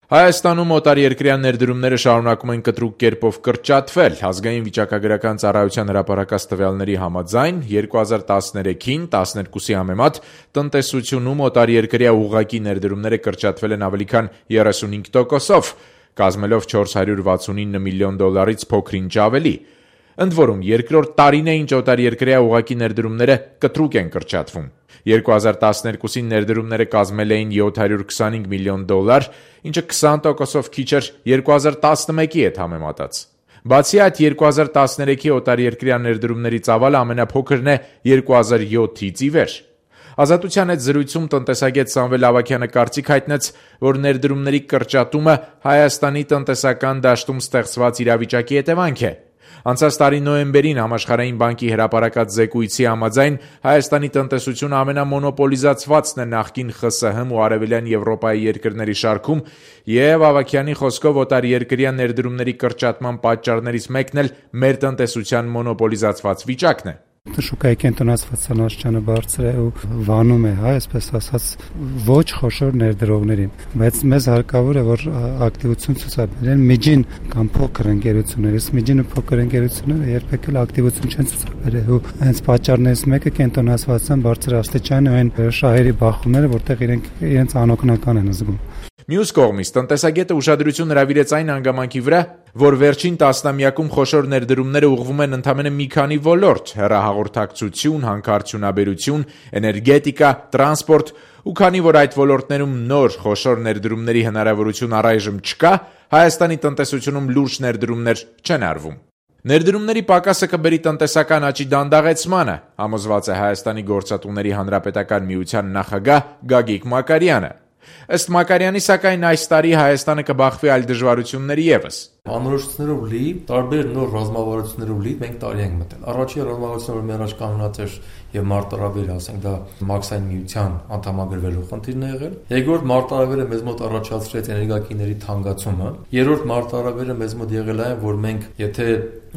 Հայաստանում օտարերկրյա ներդրումները շարունակում են կտրուկ կերպով կրճատվել։ Ազգային վիճակագրական ծառայության հրապարակած տվյալների համաձայն 2013-ին 12-ի համեմատ տնտեսությունում օտարերկրյա ուղղակի ներդրումները կրճատվել են ավելի քան 35%-ով, կազմելով $469 միլիոն փոքր-ինչ ավելի։ Ընդ որում, երկրորդ տարին է, ինչ օտարերկրյա ուղղակի ներդրումները կտրուկ են կրճատվում։ 2012-ին ներդրումները կազմել էին $725 միլիոն, ինչը 20%-ով քիչ էր 2011-ի հետ համեմատած։ Բացի այդ, 2013-ի օտարերկրյա ներդրումների ծավալը ամենափոքրն է 2007-ից ի վեր։ Ազատության հետ զրույցում տնտեսագետ Սամվել Ավագյանը կարծիք հայտնեց, որ ներդրումների կրճատումը Հայաստանի տնտեսական դաշտում ստեղծված իրավիճակի հետևանք է։ Անցած տարի նոյեմբերին Համաշխարհային բանկի հրապարակած զեկույցի համաձայն Հայաստանի տնտեսությունը ամենամոնոպոլիզացվածն է նախկին ԽՍՀՄ ու Արևելյան Եվրոպայի երկրների շարքում, եւ Ավագյանի խոսքով օտարերկրյա ներդրումների կրճատման պատճառներից մեկն էլ մեր տնտեսության մոնոպոլիզացված վիճակն է։ Շուկայի կենտրոնացվածության աստիճանը բարձր է ու վանում է, այսպես ասած, ոչ խոշոր ներդրողներին, բայց մեզ հարկավոր է, որ ակտիվություն ցուցաբերեն միջին կամ փոքր ընկերությունները, միջին ու փոքր ընկերությունները երբեք էլ ակտիվություն չեն ցուցաբերել ու հենց պատճառներից մեկը կենտրոնացվածության բարձր աստիճանը այն շահերի բախումները, որտեղ իրենց անօգնական են զգում։ Մյուս կողմից տնտեսագետը ուշադրություն հրավիրեց այն հանգամանքի վրա, որ վերջին տասնամյակում խոշոր ներդրումները ուղղվում են ընդամենը մի քանի ոլորտ՝ հեռահաղորդակցություն, հանքարդյունաբերություն, էներգետիկա, տրանսպորտ, ու քանի որ այդ ոլորտներում նոր խոշոր ներդրումների հնարավորություն առայժմ չկա, Հայաստանի տնտեսությունում լուրջ ներդրումներ չեն արվում։ Ներդրումների պակասը կբերի տնտեսական աճի դանդաղեցմանը, համոզված է Հայաստանի գործատուների հանրապետական միության նախագահ Գագիկ Մակարյանը։ Ըստ Մակարյանի, սակայն այս տարի Հայաստանը կբախվի այլ դժվարությունների ևս։ Անորոշություններով լի, տարբեր նոր ռազմավարություններով լի մենք տարի ենք մտել։ Առաջին ռազմավարությունը, որ մեր առաջ կանգնած էր եւ մարտահրավերը, ասենք դա Մաքսային միության անդամագրվելու խնդիրն է եղել։ Երկրորդ մարտահրավերը մեզ մոտ առաջացրեց էներգակիների թանկացումը։ Երրորդ մարտահրավերը մեզ մոտ եղել է, որ մենք եթե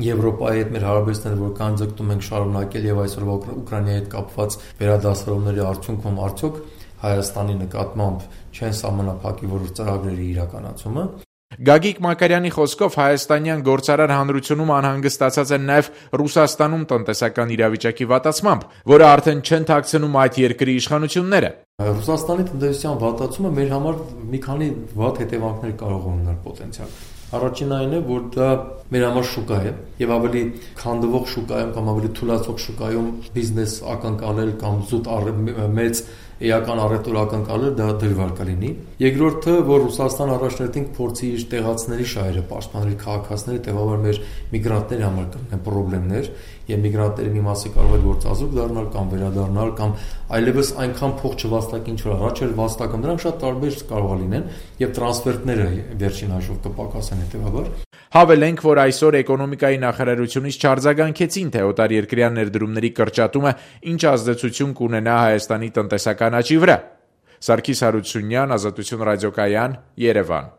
Եվրոպայի հետ մեր հարաբերությունները որքան ձգտում ենք շարունակել եւ այսօրվա Ուկրաինայի հետ կապված վերադասավորումների արդյունքում արդյոք Հայաստանի նկատմամբ չեն սահմանափակի որոշ ծրագրերի իրականացումը։ Գագիկ Մակարյանի խոսքով հայաստանյան գործարար հանրությունում անհանգստացած են նաև Ռուսաստանում տնտեսական իրավիճակի վատացմամբ, որը արդեն չեն թաքցնում այդ երկրի իշխանությունները։ Ռուսաստանի տնտեսության վատացումը մեր համար մի քանի վատ հետևանքներ կարող է ունենալ պոտենցիալ։ Առաջինն այն է, որ դա մեր համար շուկա է եւ ավելի քանդվող շուկայում կամ ավելի թուլացող շուկայում բիզնես ակնկալել կամ զուտ մեծ էական առևտուր ակնկալել դա դժվար կլինի։ Երկրորդը, որ Ռուսաստան առաջնորդին փորձի իր տեղացիների շահերը պաշտպանել, քաղաքացիների տեւաբար մեր միգրանտների համար կլինեն խնդիրներ եւ միգրանտների մի մասը կարող է գործազուրկ դառնալ կամ վերադառնալ կամ այլևս այնքան փող չվաստակին ինչ որ առաջ էր վաստակում, դրանք շատ տարբեր կարող լինեն եւ տրանսֆերտները վերջին հաշվով կպակասեն հետեւաբար։ Հավելենք, որ այսօր էկոնոմիկայի նախարարությունից չարձագանքեցին, թե օտարերկրյա ներդրումների կրճատումը ինչ ազդեցություն կունենա Հայաստանի տնտեսական աճի վրա։ Սարգիս Հարությունյան, Ազատություն ռադիոկայան, Երևան։